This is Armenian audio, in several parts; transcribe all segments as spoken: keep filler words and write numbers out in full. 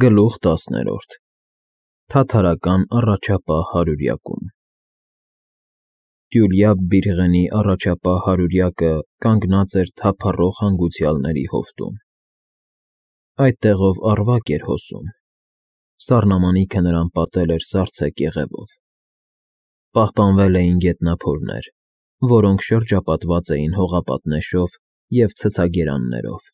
Գլուխ տասներորդ Թաթարական առաջապահ հարյուրյակում Տյուլյա Բիլղենի առաջապահ հարյուրյակը կանգնած էր թափառող հանգուցյալների հովտում. այդտեղով առվակ էր հոսում, սառնամանիքը նրան պատել էր սառցե կեղևով, պահպանվել էին գետնափորներ, որոնք շրջապատված էին հողապատնեշով և ցցագերաններով,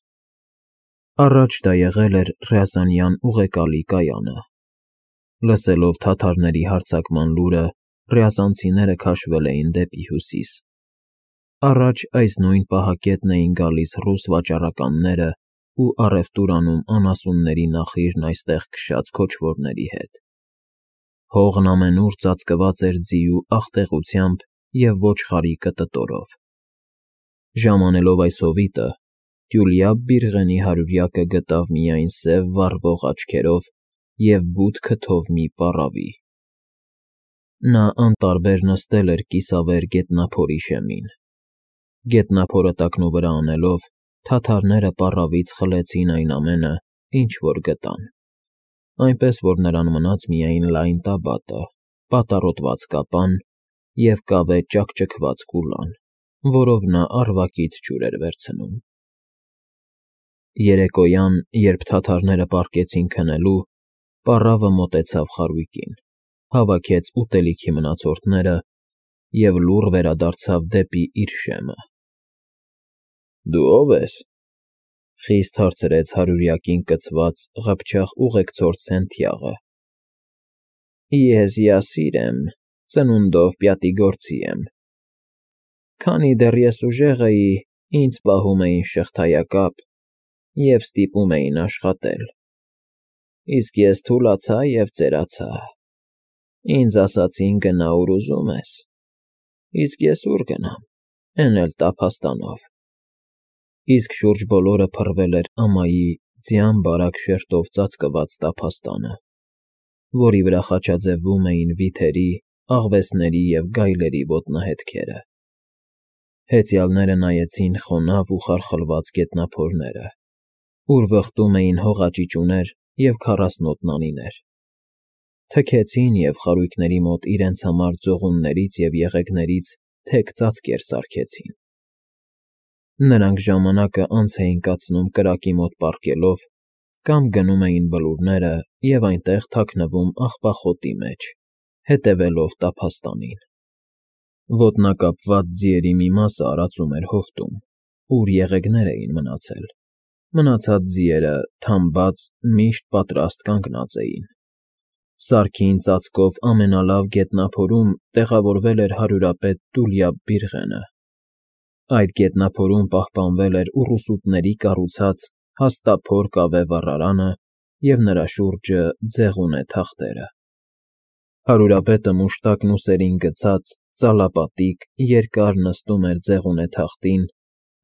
առաջ դա եղել էր Ռյազանյան ուղեկալի կայանը, լսելով թաթարների հարձակման լուրը, ռյազանցիները քաշվել էին դեպի հյուսիս, առաջ այս նույն պահակետն էին գալիս ռուս վաճառականները ու առևտուր անում անասունների նախիրն այստեղ քշած քոչվորների հետ, հողն ամենուր ծածկված էր ձիու աղտեղությամբ և ոչխարի կտտորով, ժամանելով այս հովիտը, Տյուլյա Բիլղենի հարյուրյակը գտավ միայն սև վառվող աչքերով և բութ քթով մի պառավի, նա անտարբեր նստել էր կիսավեր գետնափորի շեմին, գետնափորը տակնուվրա անելով, թաթարները պառավից խլեցին այն ամենը, ինչ որ գտան, այնպես որ նրան մնաց միայն լայն տաբատը, պատառոտված կապան և կավե ճաքճքված կուլան, որով նա առվակից ջուր էր վերցնում, երեկոյան, երբ թաթարները պառկեցին քնելու, պառավը մոտեցավ խարույկին, հավաքեց ուտելիքի մնացորդները և լուռ վերադարձավ դեպի իր շեմը։ ֊ Դու ո՞վ ես,֊ խիստ հարցրեց հարյուրյակին կցված ղփչաղ ուղեկցորդ Սենթիաղը։ ֊ Ես Յասիր եմ, ծնունդով պյատիգորցի եմ. քանի դեռ ես ուժեղ էի, ինձ պահում էին շղթայակապ և ստիպում էին աշխատել, իսկ ես թուլացա և ծերացա, ինձ ասացին գնա ուր ուզում ես, իսկ ես ուր գնամ, էն էլ տափաստանով, իսկ շուրջ բոլորը փռվել էր ամայի ձյան֊բարակ շերտով ծածկված տափաստանը, որի վրա խաչաձևում էին վիթերի, աղվեսների և գայլերի ոտնահետքերը, հեծյալները նայեցին խոնավ ու խարխլված գետնափորները, ուր վխտում էին հողաճիճուներ և քառասնոտ նանիներ, թքեցին և խարույկների մոտ իրենց համար ծողուններից և եղեգներից թեք ծածկեր սարքեցին, նրանք ժամանակը անց էին կացնում կրակի մոտ պառկելով կամ գնում էին բլուրները և այնտեղ թաքնվում աղբախոտի մեջ, հետևելով տափաստանին, ոտնակապված ձիերի մի մասը արածում էր հովտում, ուր եղեգներ էին մնացել, մնացած ձիերը, թամբած, միշտ պատրաստ կանգնած էին, սարքին ծածկով ամենալավ գետնափորում տեղավորվել էր հարյուրապետ Տյուլյա Բիլղենը, այդ գետնափորում պահպանվել էր ուռուսուտների կառուցած հաստափոր կավե վառարանը և նրա շուրջը ձեղունե թախտերը, հարյուրապետը մուշտակն ուսերին գցած, ծալապատիկ, երկար նստում էր ձեղունե թախտին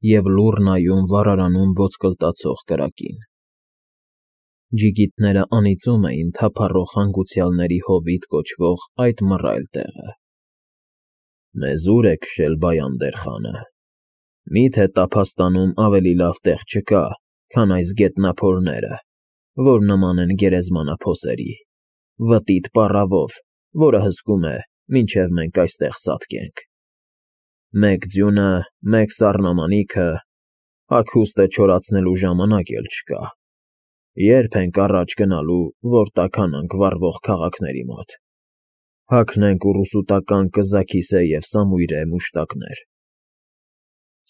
և լուռ նայում վառարանում ոսկլտացող կրակին, ջիգիտները անիծում էին թափառող հանգուցյալների հովիտ կոչվող այդ մռայլ տեղը։ ֊ Մեզ ո՞ւր է քշել Բայանդեր խանը, մի՞թե տափաստանում ավելի լավ տեղ չկա, քան այս գետնափորները, որ նման են գերեզմանափոսերի, վտիտ պառավով, որը հսկում է, մինչև մենք այստեղ ծածկենք, մեկ ձյունը, մեկ սառնամանիքը, հագուստը չորացնելու ժամանակ էլ չկա, ե՞րբ ենք առաջ գնալու, որ տաքանանք վառվող քաղաքների մոտ, հագնենք ուռուսուտական կզաքիսե և սամույրե մուշտակներ։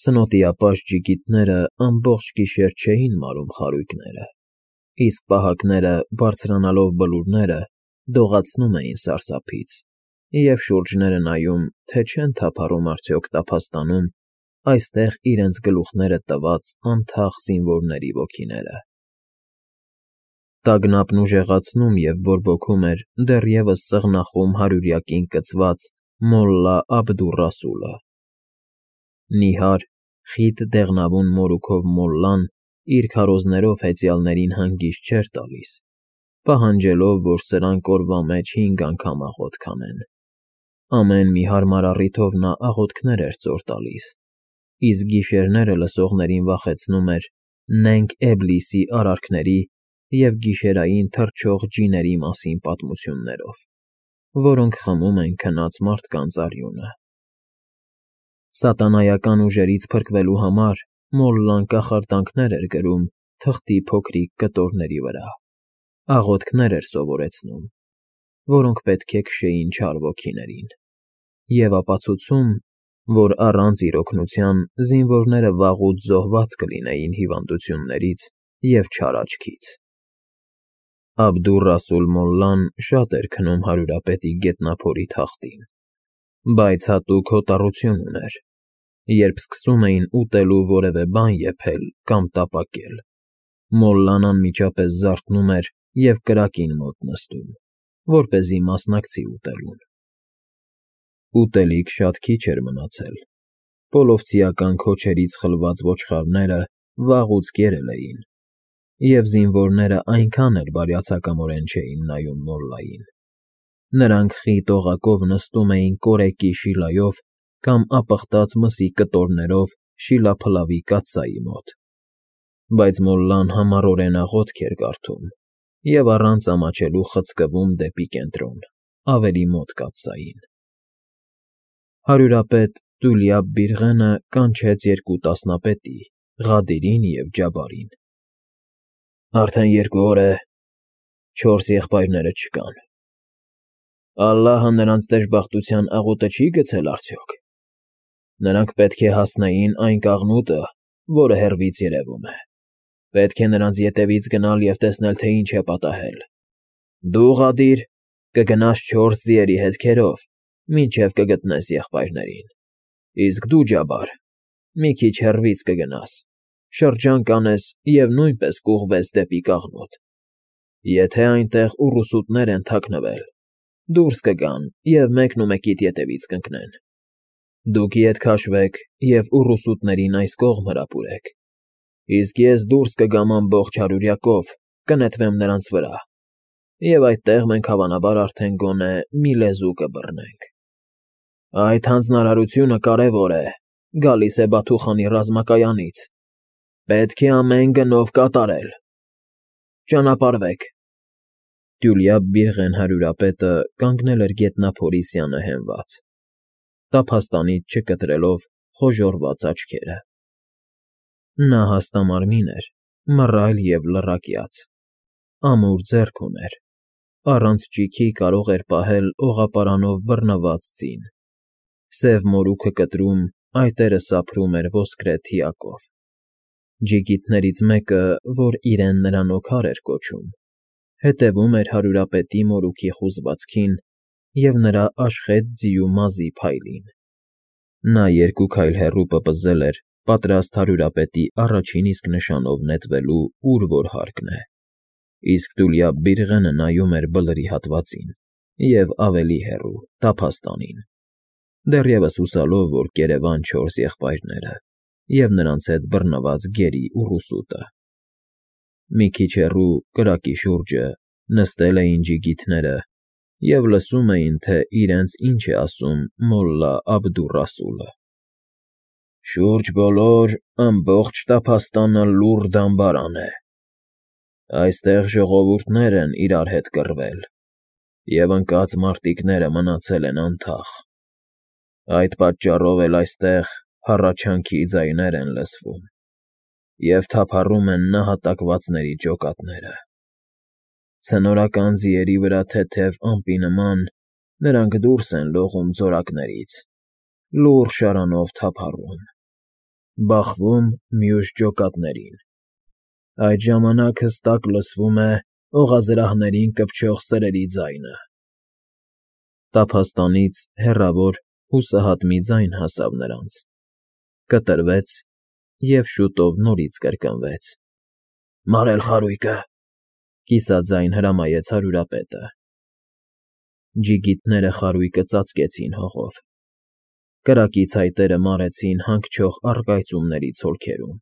Սնոտիապաշտ ջիգիտները ամբողջ գիշեր չէին մարում խարույկները, իսկ պահակները, բարձրանալով բլուրները, դողացնում էին սարսափից և շուրջները նայում, թե չեն թափառում արդյոք տափաստանում այստեղ իրենց գլուխները տված անթաղ զինվորների ոգիները։ Տագնապն ուժեղացնում և բորբոքում էր դեռևս ծղնախում հարյուրյակին կցված մոլլա Աբդուռասուլը, նիհար, խիտ դեղնավուն մորուքով մոլլան իր քարոզներով հեծյալներին հանգիստ չէր տալիս, պահանջելով, որ սրանք օրվա մեջ հինգ անգամ աղոթք անեն, ամեն մի հարմար առիթով նա աղոթքներ էր ծոր տալիս, իսկ գիշերները լսողներին վախեցնում էր Նենգ Էբլիսի արարքների և գիշերային թռչող ջիների մասին պատմություններով, որոնք խմում են քնած մարդկանց արյունը։ Սատանայական ուժերից փրկվելու համար Մոլլան կախարդանքներ էր գրում թղթի փոքրիկ կտորների վրա, աղոթքներ էր սովորեցնում, որոնք պետք է քշեին չար ոգիներին, և ապացուցում, որ առանց իր օգնության զինվորները վաղուց զոհված կլինեին հիվանդություններից և չար աչքից։ Աբդուռ֊Ռասուլ Մոլլան շատ էր քնում հարյուրապետի գետնափորի թախտին, բայց հատուկ հոտառություն ուներ, երբ սկսում էին ուտելու որևէ բան եփել կամ տապակել, Մոլլան անմիջապես զարթնում էր և կրակին մոտ նստում, որպեսզի մասնակցի ուտելուն։ Ուտելիք շատ քիչ էր մնացել, պոլովցիական քոչերից խլված ոչխարները վաղուց կերել էին, և զինվորները այնքան էլ բարյացակամորեն չէին նայում Մոլլային։ Նրանք խիտ օղակով նստում էին կորեկի շիլայով կամ ապխտած մսի կտորներով շիլափլավի կաթսայի մոտ, բայց Մոլլան համառորեն աղոթք էր կարդում և առանց ամաչելու խցկվում դեպի կենտրոն, ավելի մոտ կաթսային։ Հարյուրապետ Դուլյաբ Բիրղենը կանչեց երկու տասնապետի՝ Ղադիրին և Ջաբարին։ Արդեն երկու օր է, չորս եղբայրները չկան։ Ալլահը նրանց դժբախտության աղոթը չի՞ գցել արդյոք։ Նրանք պետք է հասնեին այն կաղնուտը, որը հեռվից երևում է։ Պետք է նրանց ետևից գնալ և տեսնել, թե ինչ է պատահել։ Դու, Ղադիր, կգնաս չորս ձիերի հետքերով, մինչև կգտնես եղբայրներին, իսկ դու, Ջաբար, մի քիչ հեռվից կգնաս, շրջան կանես և նույնպես կուղղվես դեպի կաղնուտ։ Եթե այնտեղ ուռուսուտներ են թաքնվել, դուրս կգան և մեկնումեկիդ ետևից կընկնեն։ Դուք ետ քաշվեք և ուռուսուտներին այս կողմ հրապուրեք, իսկ ես դուրս կգամ ամբողջ հարյուրյակով, կնետվեմ նրանց վրա, և այդտեղ մենք հավանաբար արդեն գոնե մի լեզու կբռնենք։ Այդ հանձնարարությունը կարևոր է, գալիս է Բաթուխանի ռազմակայանից, պետք է ամեն գնով կատարել։ Ճանապարհվեք։ Դյուլյաբ Բիրղեն հարյուրապետը կանգնել էր գետնափորի սյանը հենված, տափաստանից չկտրելով խոժոռված աչքերը։ Նա հաստամարմին էր, մռայլ և լռակյաց, ամուր ձեռք ուներ, առանց ճիգի կարող էր պահել օղապարանով բռնված ձին, սև մորուքը կտրում, այտերը սափրում էր ոսկրե թիակով։ Ջիգիտներից մեկը, որ իրեն նրան Օգար էր կոչում, հետևում էր հարյուրապետի մորուքի խուզվածքին և նրա աշխետ ձիու մազի փայլին։ Նա երկու քայլ հեռու պպզել էր, պատրաստ հարյուրապետի առաջին իսկ նշանով նետվելու, ուր որ հարկն է, իսկ Դուլյաբ Բիրղենը նայում էր բլրի հատվածին և ավելի հեռու, տափաստանին, դեռևս հուսալով, որ կերևան չորս եղբայրները և նրանց հետ բռնված գերի ուռուսուտը։ Մի քիչ հեռու, կրակի շուրջը, նստել էին ջիգիթները և լսում էին, թե իրենց ինչ է ասում մոլլա Աբդուռ֊Ռասուլը։ Շուրջ բոլոր, ամբողջ տափաստանը լուռ դամբարան է։ Այստեղ ժողովուրդներ են իրար հետ կռվել, և ընկած մարտիկները մնացել են անթաղ։ Այդ պատճառով էլ այստեղ հառաչանքի ձայներ են լսվում, և թափառում են նահատակվածների ջոկատները։ Ցնորական ձիերի վրա թեթև ամպի նման նրանք դուրս են լողում ձորակներից, լուռ շարանով թափառում, բախվում մյուս ջոկատներին։ Այդ ժամանակ հստակ լսվում է օղազրահներին կպչող սրերի ձայնը։ Տափաստանից հեռավոր հուսահատ մի ձայն հասավ նրանց, կտրվեց և շուտով նորից կրկնվեց։ «Մարել խարույկը», կիսաձայն հրամայեց հարյուրապետը։ Ջիգիտները խարույկը ծածկեցին հողով։ Կրակից այտերը մարեցին հանգչող առկայծումների ցոլքերում։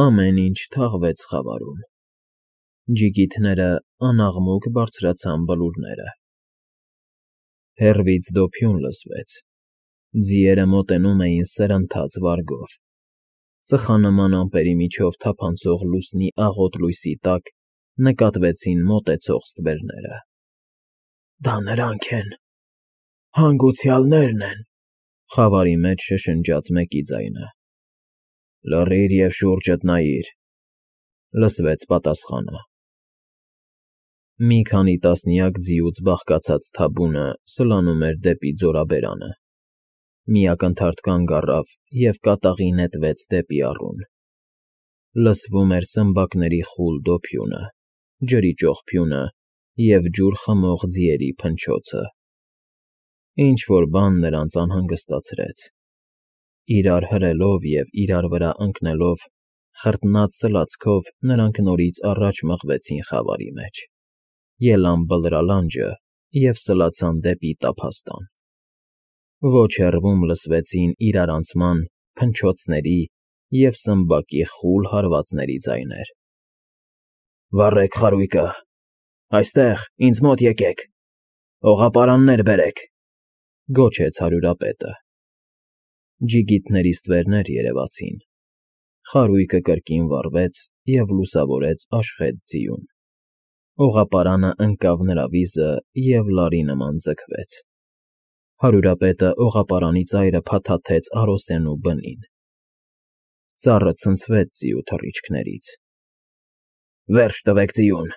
Ամեն ինչ թաղվեց խավարում։ Ջիգիթները անաղմուկ բարձրացան բլուրները։ Հեռվից դոփյուն լսվեց։ Ձիերը մոտենում էին սրընթաց վարգով։ Ծխանման ամպերի միջով թափանցող լուսնի աղոտ լույսի տակ նկատվեցին մոտեցող ստվերները։ Դա նրանք են, հանգուցյալներն են,֊ խավարի մեջ շշնջաց մեկի ձայնը։ Լռիր և շուրջդ նայիր,֊ լսվեց պատասխանը։ Մի քանի տասնյակ ձիուց բաղկացած թաբունը սլանում էր դեպի ձորաբերանը։ Մի ակնթարթ կանգ առավ և կատաղի նետվեց դեպի առուն։ Լսվում էր սմբակների խուլ դոփյունը, ջրի ճոխփյունը և ջուր խմող ձիերի փնչոցը։ Ինչ֊որ բան նրանց անհանգստացրեց։ Իրար հրելով և իրար վրա ընկնելով, խրտնած սլացքով նրանք նորից առաջ մղվեցին խավարի մեջ, ելան Բլրալանջը և սլացան դեպի տափաստան։ Ոչ հեռվում լսվեցին իրարանցման, փնչոցների և սմբակի խուլ հարվածների ձայներ։ Վառեք խարույկը, այստեղ, ինձ մոտ եկեք, օղապարաններ բերեք,֊ գոչեց հարյուրապետը։ Ջիգիտների ստվերներ երևացին։ Խարույկը կրկին վառվեց և լուսավորեց Աշխետ ձիուն։ Օղապարանը ընկավ նրա վիզը և լարի նման ձգվեց։ Հարյուրապետը օղապարանի ծայրը փաթաթեց Արոսենու բնին։ Ծառը ցնցվեց ձիու թռիչքներից։ Վերջ տվեք ձիուն,֊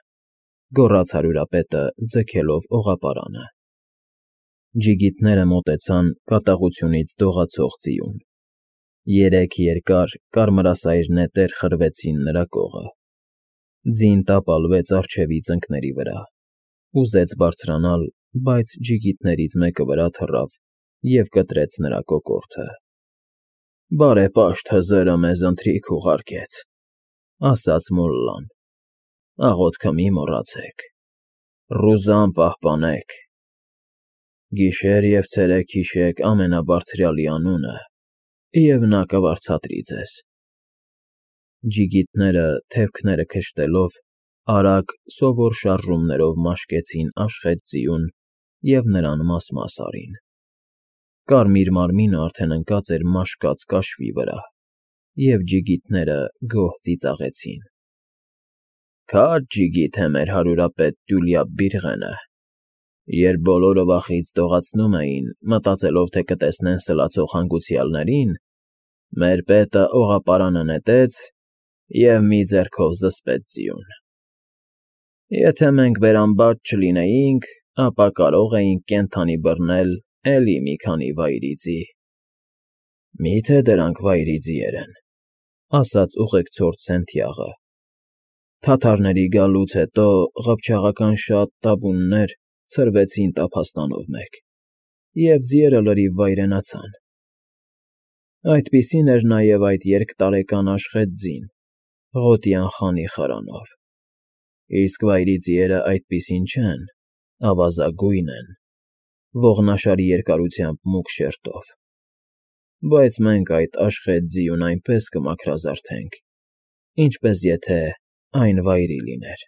գոռաց հարյուրապետը, ձգելով օղապարանը։ Ջիգիտները մոտեցան կատաղությունից դողացող ձիուն։ Երեք երկար, կարմրասայր նետեր խրվեցին նրա կողը։ Ձին տապալվեց առջևի ծնկների վրա, ուզեց բարձրանալ, բայց ջիգիտներից մեկը վրա թռավ և կտրեց նրա կոկորդը։ Բարեպաշտ հզերը մեզ ընթրիք ուղարկեց,֊ ասաց մոլլան։ Աղոթքը մի մոռացեք, ռուզան պահպանեք։ Գիշեր և ցերեկ հիշեք Ամենաբարձրյալի անունը, և նա կվարձատրի ձեզ։ Ջիգիտները, թևքները քշտելով, արագ, սովոր շարժումներով մաշկեցին Աշխետ ձիուն և նրան մաս֊մաս արին։ Կարմիր մարմինը արդեն ընկած էր մաշկած կաշվի վրա, և ջիգիտները գոհ ծիծաղեցին։ Քաջ ջիգիթ է մեր հարյուրապետ Տյուլիապ Բիրղենը։ Երբ բոլորը վախից դողացնում էին, մտածելով, թե կտեսնեն սլացող հանգուցյալներին, մեր պետը օղապարանը նետեց և մի ձեռքով զսպեց ձիուն։ Եթե մենք բերամբաճ չլինեինք, ապա կարող էինք կենդանի բռնել էլի մի քանի վայրի ձի։ ֊ Մի՞թե դրանք վայրի ձիեր են,֊ ասաց ուղեկցորդ Սենթիաղը։ Թաթարների գալուց հետո ղփչաղական շատ թաբուներ ցրվեցին տափաստանով մեկ, և ձիերը լրիվ վայրենացան։ Այդպիսին էր նաև այդ երկտարեկան Աշխետ ձին, Ղոտյան խանի խարանով։ Իսկ վայրի ձիերն այդպիսին չեն, ավազագույն են, ողնաշարի երկարությամբ մուգ շերտով։ Բայց մենք այդ Աշխետ ձիուն այնպես կմաքրազարդենք, ինչպես եթե այն վայրի լիներ։